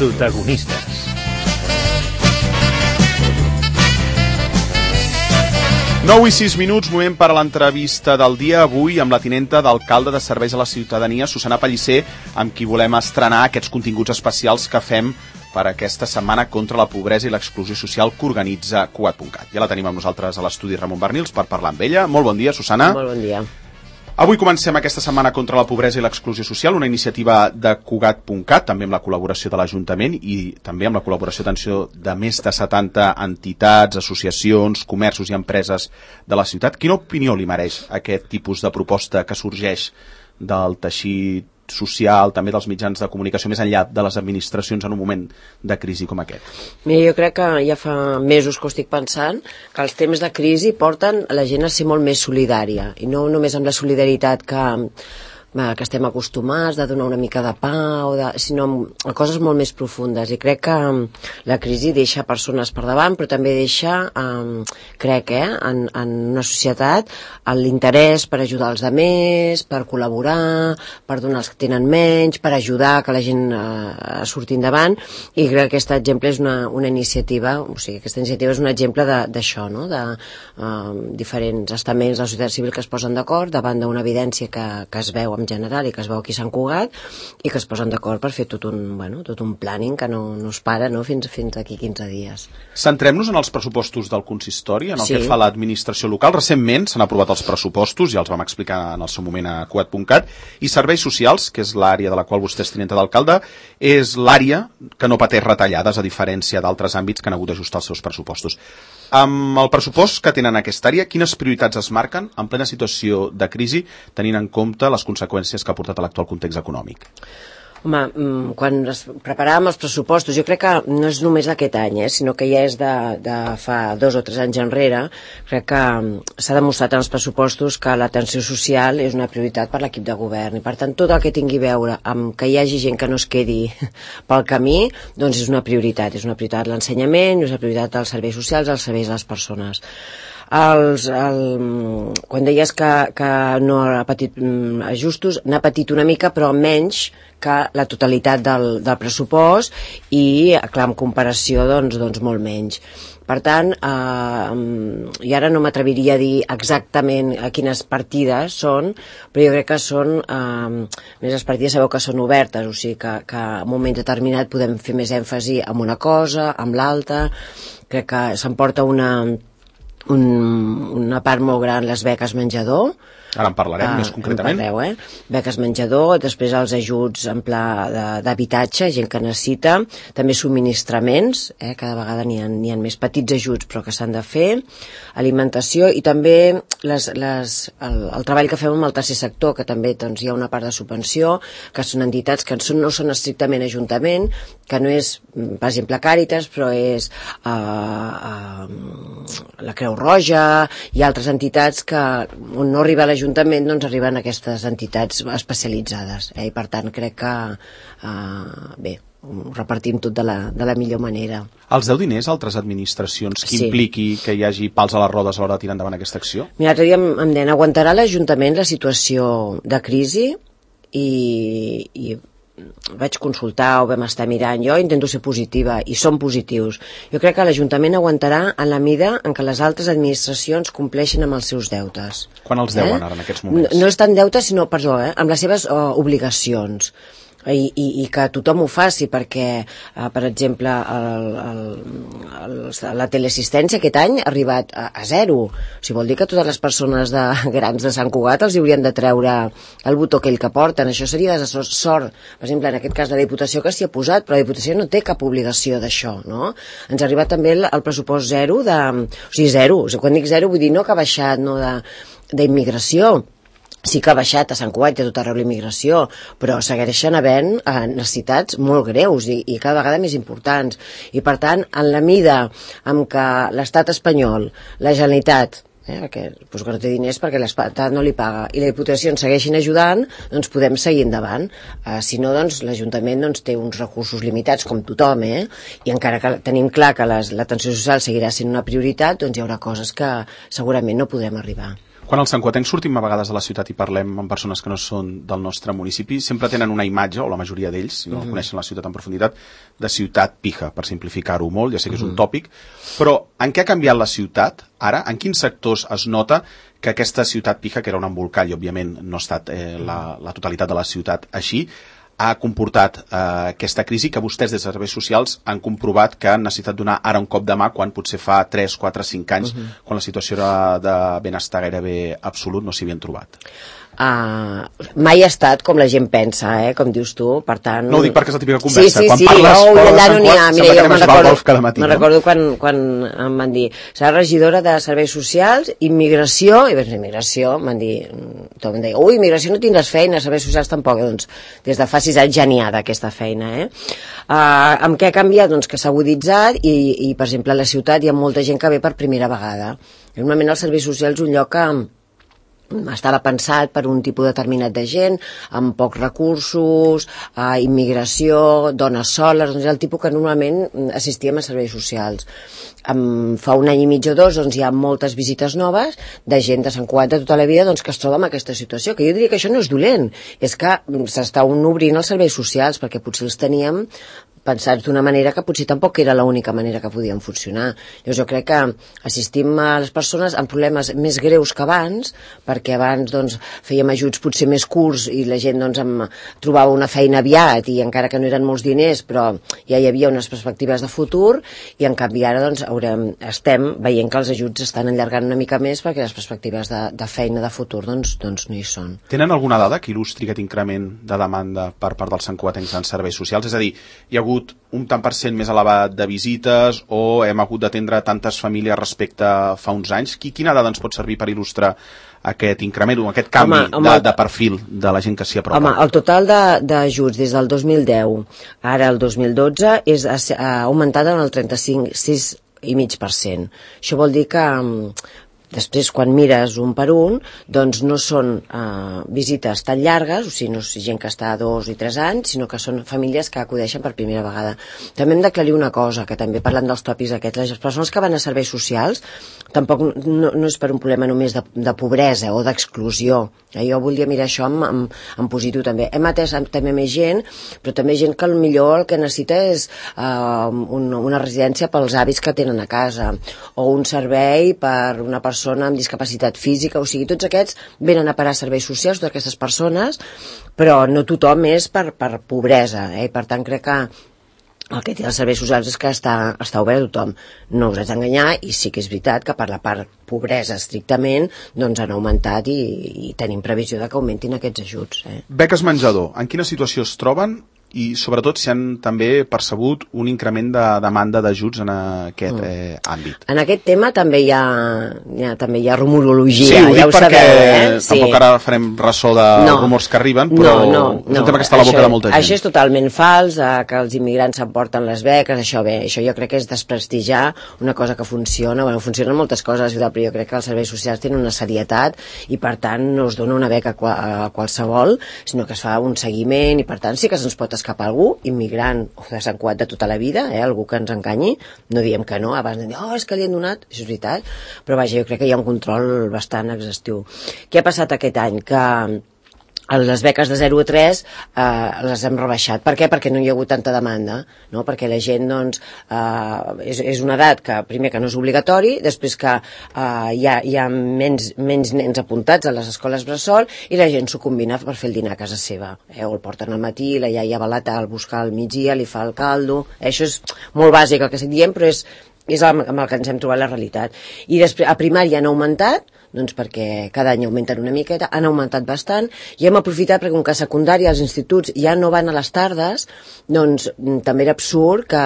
Protagonistes. Nou i 6 minuts, moment per a l'entrevista del dia. Avui amb la tinenta d'alcalde de Serveis a la Ciutadania, Susana Pellicer, amb qui volem estrenar aquests continguts especials que fem per aquesta setmana contra la pobresa i l'exclusió social que organitza Cugat.cat. Ja la tenim amb nosaltres a l'estudi Ramon Barnils per parlar amb ella. Molt bon dia, Susana. Molt bon dia. Avui comencem aquesta setmana contra la pobresa i l'exclusió social, una iniciativa de Cugat.cat, també amb la col·laboració de l'Ajuntament i també amb la col·laboració de més de 70 entitats, associacions, comerços i empreses de la ciutat. Quina opinió li mereix aquest tipus de proposta que sorgeix del teixit social, també dels mitjans de comunicació, més enllà de les administracions en un moment de crisi com aquest? Mira, jo crec que ja fa mesos que ho estic pensant, que els temps de crisi porten a la gent a ser molt més solidària, i no només amb la solidaritat que estem acostumats, de donar una mica de pa, sinó a coses molt més profundes. I crec que la crisi deixa persones per davant, però també deixa, en una societat, l'interès per ajudar els altres, per col·laborar, per donar als que tenen menys, per ajudar que la gent a sortir endavant, i crec que aquest exemple és una iniciativa, o sigui, aquesta iniciativa és un exemple d'això, no? De diferents estaments de la societat civil que es posen d'acord davant d'una evidència que es veu en general i que es veu aquí a Sant Cugat, i que es posen d'acord per fer tot un planning que no es para, no? fins d'aquí 15 dies. Centrem-nos en els pressupostos del consistori, en el que fa l'administració local. Recentment s'han aprovat els pressupostos, ja els vam explicar en el seu moment a Cugat.cat, i serveis socials, que és l'àrea de la qual vostè és tinenta d'alcalde, és l'àrea que no pateix retallades, a diferència d'altres àmbits que han hagut d'ajustar els seus pressupostos. Amb el pressupost que tenen aquesta àrea, quines prioritats es marquen en plena situació de crisi, tenint en compte les conseqüències que ha portat a l'actual context econòmic? Home, quan preparàvem els pressupostos, jo crec que no és només aquest any, sinó que ja és de fa 2 o 3 anys enrere. Crec que s'ha demostrat en els pressupostos que l'atenció social és una prioritat per l'equip de govern, i per tant tot el que tingui a veure amb que hi hagi gent que no es quedi pel camí, doncs és una prioritat. És una prioritat l'ensenyament, és una prioritat els serveis socials, els serveis a les persones. Quan deies que no ha patit ajustos, n'ha patit una mica, però menys que la totalitat del pressupost, i clar, en comparació doncs molt menys. Per tant, i ara no m'atreviria a dir exactament a quines partides són, però jo crec que són, més les partides sabeu que són obertes, o sigui que en un moment determinat podem fer més èmfasi en una cosa, en l'altra. Crec que s'emporta una part molt gran les beques menjador. Ara en parlarem més concretament. Beques menjador, després els ajuts en pla d'habitatge, gent que necessita, també subministraments, cada vegada n'hi ha més petits ajuts però que s'han de fer, alimentació, i també el treball que fem amb el tercer sector, que també doncs, hi ha una part de subvenció, que són entitats que no són estrictament ajuntament, que no és, per exemple, Càritas, però és la Creu Roja i altres entitats que on no arriba l'Ajuntament, doncs arriben aquestes entitats especialitzades, i per tant crec que ho repartim tot de la millor manera. Els deu diners a altres administracions que impliqui que hi hagi pals a les rodes a l'hora de tirar endavant aquesta acció? Mira, l'altre dia em deien, aguantarà l'Ajuntament la situació de crisi? I vaig consultar, ho vam estar mirant, jo intento ser positiva, i som positius. Jo crec que l'Ajuntament aguantarà en la mida en què les altres administracions compleixen amb els seus deutes. Quan els deuen ara en aquests moments? No és tant deutes, sinó, amb les seves obligacions. I que tothom ho faci, perquè per exemple la teleassistència aquest any ha arribat a 0. O sigui, vol dir que totes les persones grans de Sant Cugat els haurien de treure el botó aquell que porten. Això seria sort, per exemple, en aquest cas de la Diputació, que s'hi ha posat, però la Diputació no té cap obligació d'això, no? Ens ha arribat també el pressupost 0 o sigui, 0, quan dic 0 vull dir no que ha baixat, no, d'immigració. Sí que ha baixat a Sant Cugat i a tot arreu l'immigració, però segueixen havent necessitats molt greus i cada vegada més importants. I per tant, en la mida en què l'Estat espanyol, la Generalitat, que no té diners perquè l'Estat no li paga, i la Diputació ens segueixin ajudant, doncs podem seguir endavant. Si no, doncs l'Ajuntament té uns recursos limitats, com tothom, i encara que tenim clar que l'atenció social seguirà sent una prioritat, doncs hi haurà coses que segurament no podrem arribar. Quan els santcugatencs sortim a vegades de la ciutat i parlem amb persones que no són del nostre municipi, sempre tenen una imatge, o la majoria d'ells, si no coneixen la ciutat en profunditat, de ciutat pija, per simplificar-ho molt, ja sé que és un tòpic, però en què ha canviat la ciutat ara? En quins sectors es nota que aquesta ciutat pija, que era un embolcall, i òbviament no ha estat la totalitat de la ciutat així, ha comportat aquesta crisi que vostès des de serveis socials han comprovat que han necessitat donar ara un cop de mà quan potser fa 3, 4, 5 anys, quan la situació era de benestar gairebé absolut, no s'hi havien trobat. Mai ha estat com la gent pensa, com dius tu, per tant... No ho dic perquè és la típica conversa. Sí, quan parles allà no n'hi ha. Mira, jo me'n recordo quan em van dir serà regidora de serveis socials, immigració, i vaig dir, immigració, m'han dit, tothom em deia, immigració no tindràs feina, serveis socials tampoc, doncs des de fa 6 anys ja n'hi ha d'aquesta feina, amb què ha canviat? Doncs que s'ha aguditzat i, per exemple, a la ciutat hi ha molta gent que ve per primera vegada. Normalment els serveis socials és un lloc que estava pensat per un tipus determinat de gent, amb pocs recursos, immigració, dones soles, doncs és el tipus que normalment assistíem a serveis socials. Fa un any i mig o 2 doncs, hi ha moltes visites noves de gent de Sant Cugat de tota la vida doncs, que es troba en aquesta situació, que jo diria que això no és dolent, és que s'estan obrint els serveis socials, perquè potser els teníem pensats d'una manera que potser tampoc era l'única manera que podien funcionar. Llavors jo crec que assistim a les persones amb problemes més greus que abans, perquè abans doncs, fèiem ajuts potser més curts i la gent doncs, trobava una feina aviat i encara que no eren molts diners però ja hi havia unes perspectives de futur i en canvi ara doncs, estem veient que els ajuts estan allargant una mica més perquè les perspectives de feina de futur doncs no hi són. Tenen alguna dada que il·lustri aquest increment de demanda per part dels santcugatencs en serveis socials? És a dir, hi ha hagut un tant per cent més elevat de visites o hem hagut d'atendre tantes famílies respecte a fa uns anys? Quina dada ens pot servir per il·lustrar aquest increment o aquest canvi de perfil de la gent que s'hi apropa? Home, el total d'ajuts des del 2010 ara al 2012 ha augmentat en el 36,5%. Això vol dir que després, quan mires un per un, doncs no són visites tan llargues, o sigui, no és gent que està 2 i 3 anys, sinó que són famílies que acudeixen per primera vegada. També hem d'aclarir una cosa, que també parlant dels tòpics aquests, les persones que van a serveis socials tampoc no és per un problema només de pobresa o d'exclusió. Jo volia mirar això en positiu també. Hem atès també més gent, però també gent que potser el que necessita és una residència pels avis que tenen a casa, o un servei per una persona amb discapacitat física, o sigui, tots aquests venen a parar serveis socials, totes aquestes persones, però no tothom és per pobresa, i per tant crec que el que té els serveis socials és que està obert a tothom. No us haig d'enganyar, i sí que és veritat que per la part pobresa estrictament doncs han augmentat i tenim previsió de que augmentin aquests ajuts. Beques menjador, en quina situació es troben? I sobretot si han també percebut un increment de demanda d'ajuts en aquest àmbit. En aquest tema també hi ha rumorologia. Sí, ho dic perquè tampoc ara farem ressò de rumors que arriben, però és un tema que està a la boca de molta gent. Això és totalment fals, que els immigrants s'emporten les beques, això jo crec que és desprestigiar una cosa que funciona. Bueno, funcionen moltes coses a la ciutat, però jo crec que els serveis socials tenen una serietat i per tant no es dona una beca a qualsevol, sinó que es fa un seguiment i per tant sí que se'ns pot escapar algú, immigrant o de Sant Cugat de tota la vida, algú que ens enganyi, no diem que no, abans de dir, és que li han donat, això és veritat, però vaja, jo crec que hi ha un control bastant exhaustiu. Què ha passat aquest any? Que les beques de 0 a 3 les hem rebaixat. Per què? Perquè no hi ha hagut tanta demanda, no? Perquè la gent doncs, és una edat que primer que no és obligatori, després que hi ha menys nens apuntats a les escoles bressol i la gent s'ho combina per fer el dinar a casa seva, o el porten al matí, la iaia va al buscar al migdia, li fa el caldo, això és molt bàsic el que estic dient, però és amb el que ens hem trobat la realitat. I després a primària han augmentat, doncs perquè cada any augmenten una miqueta, han augmentat bastant, i hem aprofitat perquè com que a secundària els instituts ja no van a les tardes, doncs també era absurd que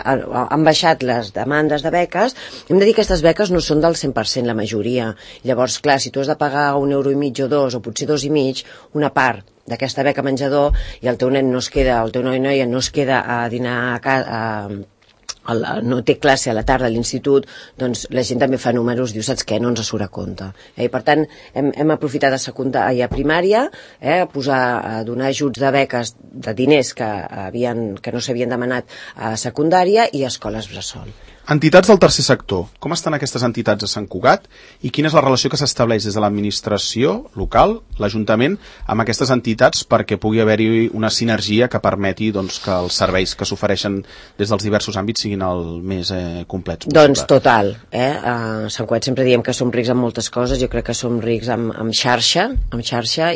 han baixat les demandes de beques. Hem de dir que aquestes beques no són del 100% la majoria. Llavors, clar, si tu has de pagar €1,5 o 2 o potser 2,5, una part d'aquesta beca menjador i el teu nen no es queda, el teu noi o noia no es queda a dinar a casa, no té classe a la tarda a l'institut, doncs la gent també fa números, diu, saps què, no ens surt a compte. I per tant, hem aprofitat de secundària a primària, a donar ajuts de beques de diners que no s'havien demanat a secundària i a escoles bressol. Entitats del tercer sector. Com estan aquestes entitats a Sant Cugat i quina és la relació que s'estableix des de l'administració local, l'Ajuntament, amb aquestes entitats perquè pugui haver-hi una sinergia que permeti doncs, que els serveis que s'ofereixen des dels diversos àmbits siguin el més complets possible? Doncs total. A Sant Cugat sempre diem que som rics en moltes coses, jo crec que som rics amb xarxa,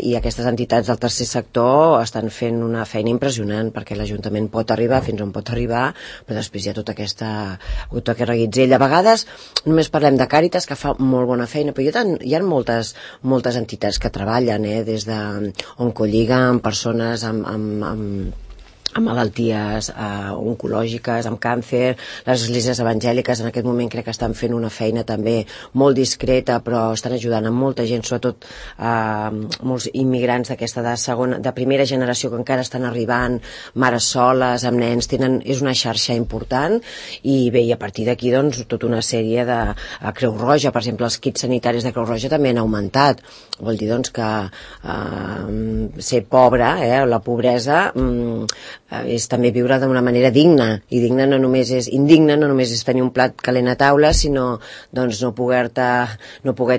i aquestes entitats del tercer sector estan fent una feina impressionant perquè l'Ajuntament pot arribar fins on pot arribar, però després hi ha tota aquesta reguitzell. A vegades només parlem de Càritas, que fa molt bona feina, però hi ha moltes entitats que treballen des de Oncolliga amb persones amb malalties oncològiques, amb càncer. Les esglésies evangèliques en aquest moment crec que estan fent una feina també molt discreta, però estan ajudant a molta gent, sobretot molts immigrants d'aquesta de primera generació que encara estan arribant, mares soles, amb nens, és una xarxa important. I bé, i a partir d'aquí doncs tota una sèrie de Creu Roja, per exemple, els kits sanitaris de Creu Roja també han augmentat. Vol dir doncs que ser pobre, la pobresa és també viure d'una manera digna, i indigna no només és tenir un plat calent a taula, sinó doncs, no poder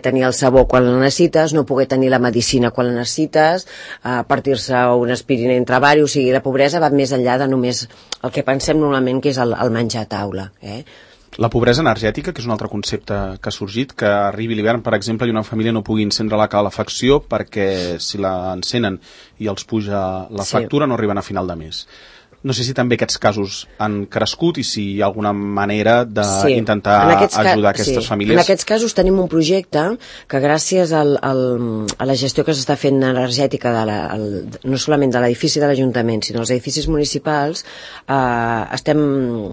tenir el sabó quan la necessites, no poder tenir la medicina quan la necessites, partir-se una aspirina entre vari. O sigui, la pobresa va més enllà de només el que pensem normalment que és el menjar a taula. La pobresa energètica, que és un altre concepte que ha sorgit, que arribi l'hivern, per exemple, i una família no pugui encendre la calefacció perquè si la encenen i els puja la factura no arriben a final de mes. No sé si també aquests casos han crescut i si hi ha alguna manera d'intentar ajudar aquestes famílies. En aquests casos tenim un projecte que gràcies a la gestió que s'està fent energètica no solament de l'edifici de l'Ajuntament, sinó dels edificis municipals, estem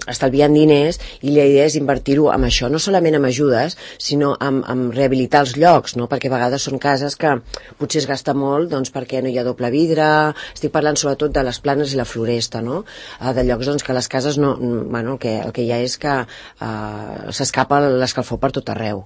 estalviant diners, i la idea és invertir-ho en això, no solament amb ajudes, sinó amb rehabilitar els llocs, no? Perquè a vegades són cases que potser es gasta molt doncs, perquè no hi ha doble vidre. Estic parlant sobretot de les Planes i la Floresta, no? De llocs doncs, que les cases el que hi ha és que s'escapa l'escalfor per tot arreu,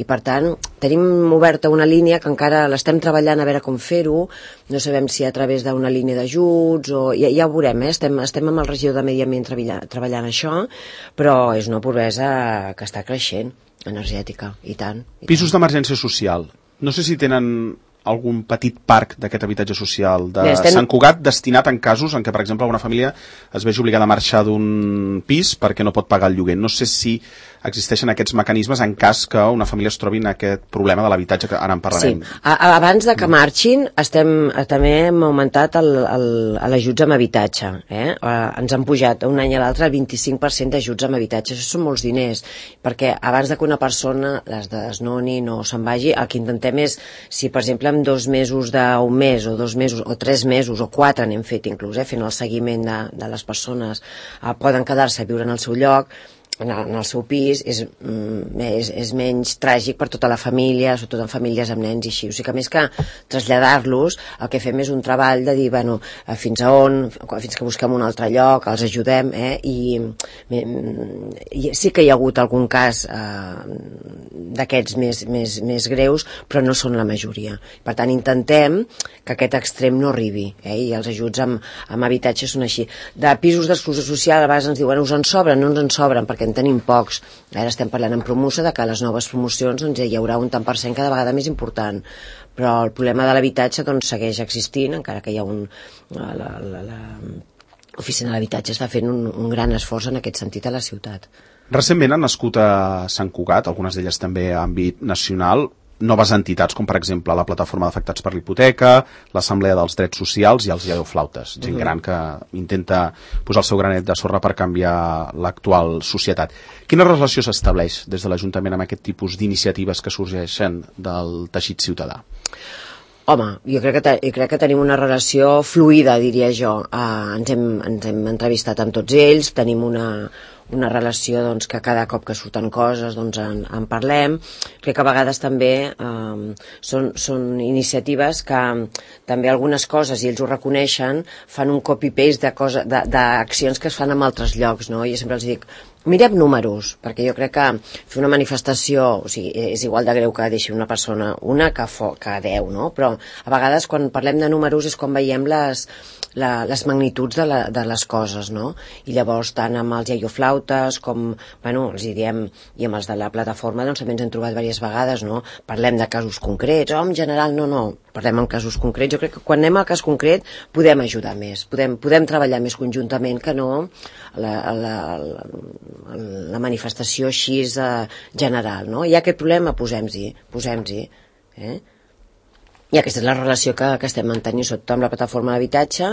i per tant tenim oberta una línia que encara l'estem treballant a veure com fer-ho. No sabem si a través d'una línia d'ajuts o ja ho veurem, estem amb el regidor de Medi Ambient treballant això, però és una pobresa que està creixent, energètica, i tant. Pisos d'emergència social, no sé si tenen algun petit parc d'aquest habitatge social de Sant Cugat destinat en casos en què, per exemple, una família es vegi obligada a marxar d'un pis perquè no pot pagar el lloguer. No sé si existeixen aquests mecanismes en cas que una família es trobi en aquest problema de l'habitatge, que ara en parlarem. Sí. Abans de que marxin també hem augmentat l'ajuts amb habitatge. Ens han pujat un any a l'altre el 25% d'ajuts amb habitatge. Això són molts diners, perquè abans de que una persona les desnoni, no se'n vagi, el que intentem és, si per exemple en 2 mesos d'un mes, o 2 mesos, o 3 mesos, o 4 n'hem fet inclús, fent el seguiment de les persones, poden quedar-se a viure en el seu lloc, en el seu pis, és menys tràgic per tota la família, sobretot en famílies amb nens i així. O sigui que més que traslladar-los, el que fem és un treball de dir, fins que busquem un altre lloc, els ajudem, i sí que hi ha hagut algun cas d'aquests més greus, però no són la majoria. Per tant, intentem que aquest extrem no arribi, i els ajuts amb habitatge són així. De pisos d'exclusió social, a vegades ens diuen, us en sobren? No ens en sobren, perquè en tenim pocs. Ara estem parlant en Promusa de que a les noves promocions hi haurà un tant per cent cada vegada més important, però el problema de l'habitatge segueix existint, encara que hi ha l'oficina de l'habitatge està fent un gran esforç en aquest sentit a la ciutat. Recentment han nascut a Sant Cugat, algunes d'elles també a àmbit nacional, noves entitats, com per exemple la Plataforma d'Afectats per l'Hipoteca, l'Assemblea dels Drets Socials i els Iadoflautes, gent gran que intenta posar el seu granet de sorra per canviar l'actual societat. Quina relació s'estableix des de l'Ajuntament amb aquest tipus d'iniciatives que sorgeixen del teixit ciutadà? Home, jo crec que tenim una relació fluida, diria jo. Ens hem entrevistat amb tots ells, tenim una relació doncs, que cada cop que surten coses doncs, en parlem. Crec que a vegades també són iniciatives que també algunes coses, i ells ho reconeixen, fan un copy-paste d'accions que es fan en altres llocs, no? Jo sempre els dic, Mirem números, perquè jo crec que fer una manifestació, o sigui, és igual de greu que deixi una persona, una que 10, no? Però a vegades quan parlem de números és quan veiem les magnituds de les coses, no? I llavors tant amb els iaioflautes com, bueno, els hi diem, i amb els de la plataforma doncs també ens hem trobat diverses vegades, no? Parlem de casos concrets, en general no, parlem en casos concrets. Jo crec que quan anem al cas concret podem ajudar més, podem treballar més conjuntament que no la manifestació així general, no? Hi ha aquest problema, posem-hi, i aquesta és la relació que estem mantenint sobretot amb la plataforma d'habitatge,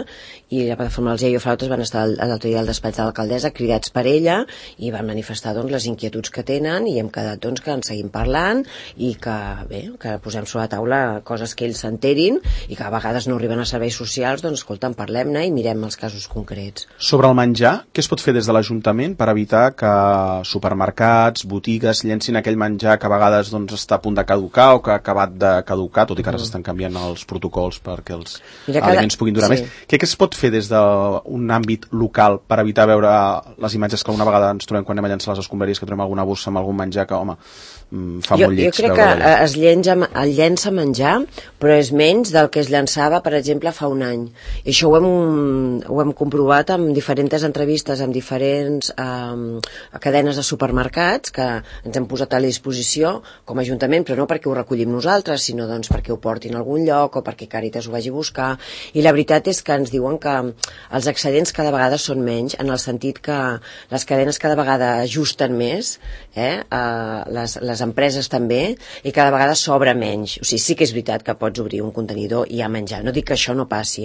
i la plataforma dels iaioflautes van estar l'altre dia al despatx de l'alcaldessa cridats per ella i van manifestar doncs, les inquietuds que tenen, i hem quedat doncs, que en seguim parlant i que posem sobre la taula coses que ells s'enterin, i que a vegades no arriben a serveis socials, doncs escolta, en parlem-ne i mirem els casos concrets. Sobre el menjar, què es pot fer des de l'Ajuntament per evitar que supermercats, botigues llencin aquell menjar que a vegades doncs, està a punt de caducar o que ha acabat de caducar, tot i que ara s'estan canviant els protocols perquè els aliments puguin durar més. Què es pot fer des d'un àmbit local per evitar veure les imatges que una vegada ens trobem quan anem a llançar les escombraries, que trobem alguna bossa amb algun menjar que, home, fa molt lleig. Jo crec que es llença menjar, però és menys del que es llançava, per exemple, fa un any. I això ho hem comprovat amb diferents entrevistes, amb diferents cadenes de supermercats que ens hem posat a la disposició com a Ajuntament, però no perquè ho recollim nosaltres, sinó doncs perquè ho portin a algun lloc o perquè Càritas ho vagi a buscar. I la veritat és que ens diuen que els excedents cada vegada són menys, en el sentit que les cadenes cada vegada ajusten més, les empreses també, i cada vegada sobra menys. O sigui, sí que és veritat que pots obrir un contenidor i hi ha menjar, no dic que això no passi,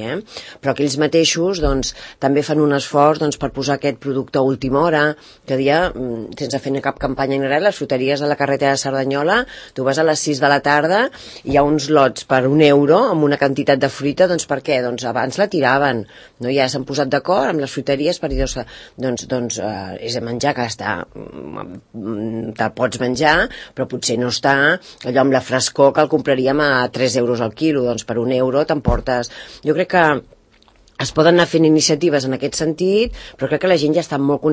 però que ells mateixos doncs, també fan un esforç doncs, per posar aquest producte a última hora, que dia, sense fer cap campanya ni res, les fruteries de la carretera de Cerdanyola, tu vas a les 6 de la tarda i hi ha uns lots per €1 amb una quantitat de fruita, doncs per què? Doncs abans la tiraven, no? Ja s'han posat d'acord amb les fruiteries per dir, doncs és menjar que te'l pots menjar, però potser no està allò amb la frescor que el compraríem a €3 al quilo, doncs per €1 t'emportes. Jo crec que es poden anar fent iniciatives en aquest sentit, però crec que la gent ja està molt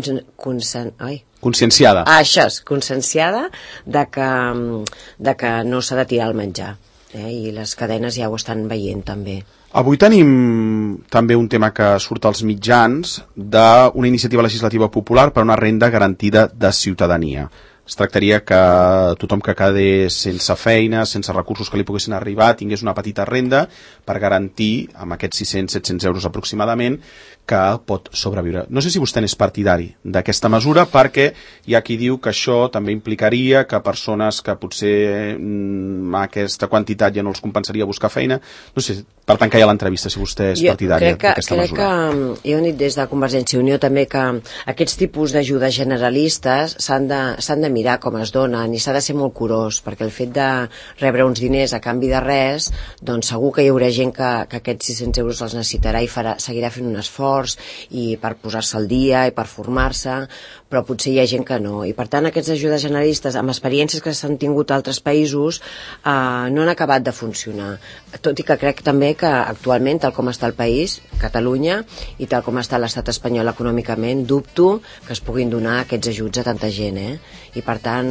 conscienciada. Això és, conscienciada de que no s'ha de tirar el menjar. I les cadenes ja ho estan veient també. Avui tenim també un tema que surt als mitjans d'una iniciativa legislativa popular per una renda garantida de ciutadania. Es tractaria que tothom que quedés sense feina, sense recursos que li poguessin arribar, tingués una petita renda per garantir, amb aquests 600-700 euros aproximadament, que pot sobreviure. No sé si vostè n'és partidari d'aquesta mesura, perquè hi ha qui diu que això també implicaria que persones que potser aquesta quantitat ja no els compensaria buscar feina. No sé, per tant que hi ha l'entrevista, si vostè és partidari d'aquesta mesura. Jo crec que he dit des de Convergència i Unió també que aquests tipus d'ajudes generalistes s'han de mirar com es donen i s'ha de ser molt curós, perquè el fet de rebre uns diners a canvi de res, doncs segur que hi haurà gent que aquests 600 euros els necessitarà i seguirà fent un esforç i per posar-se al dia i per formar-se, però potser hi ha gent que no. I per tant aquestes ajudes generalistes, amb experiències que s'han tingut a altres països, no han acabat de funcionar. Tot i que crec també que actualment, tal com està el país, Catalunya, i tal com està l'estat espanyol econòmicament, dubto que es puguin donar aquests ajuts a tanta gent, i per tant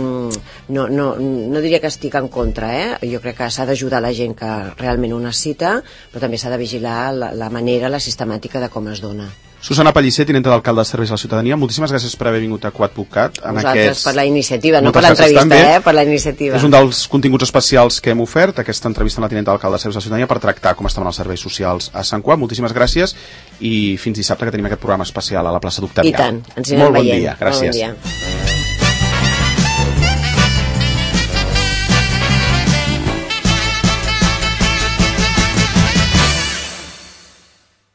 no diria que estic en contra, jo crec que s'ha d'ajudar la gent que realment ho necessita, però també s'ha de vigilar la manera, la sistemàtica de com es dona. Susana Pellicer, tinenta d'alcalde de Serveis a la Ciutadania, moltíssimes gràcies per haver vingut a Quatpucat. Vosaltres per la iniciativa, no per l'entrevista, per la iniciativa. És un dels continguts especials que hem ofert, aquesta entrevista amb la tinenta d'alcalde de Serveis a la Ciutadania, per tractar com estaven els serveis socials a Sant Cugat. Moltíssimes gràcies i fins dissabte, que tenim aquest programa especial a la plaça d'Octavià. I tant, ens anirem veient. Molt bon dia, gràcies. Molt bon dia.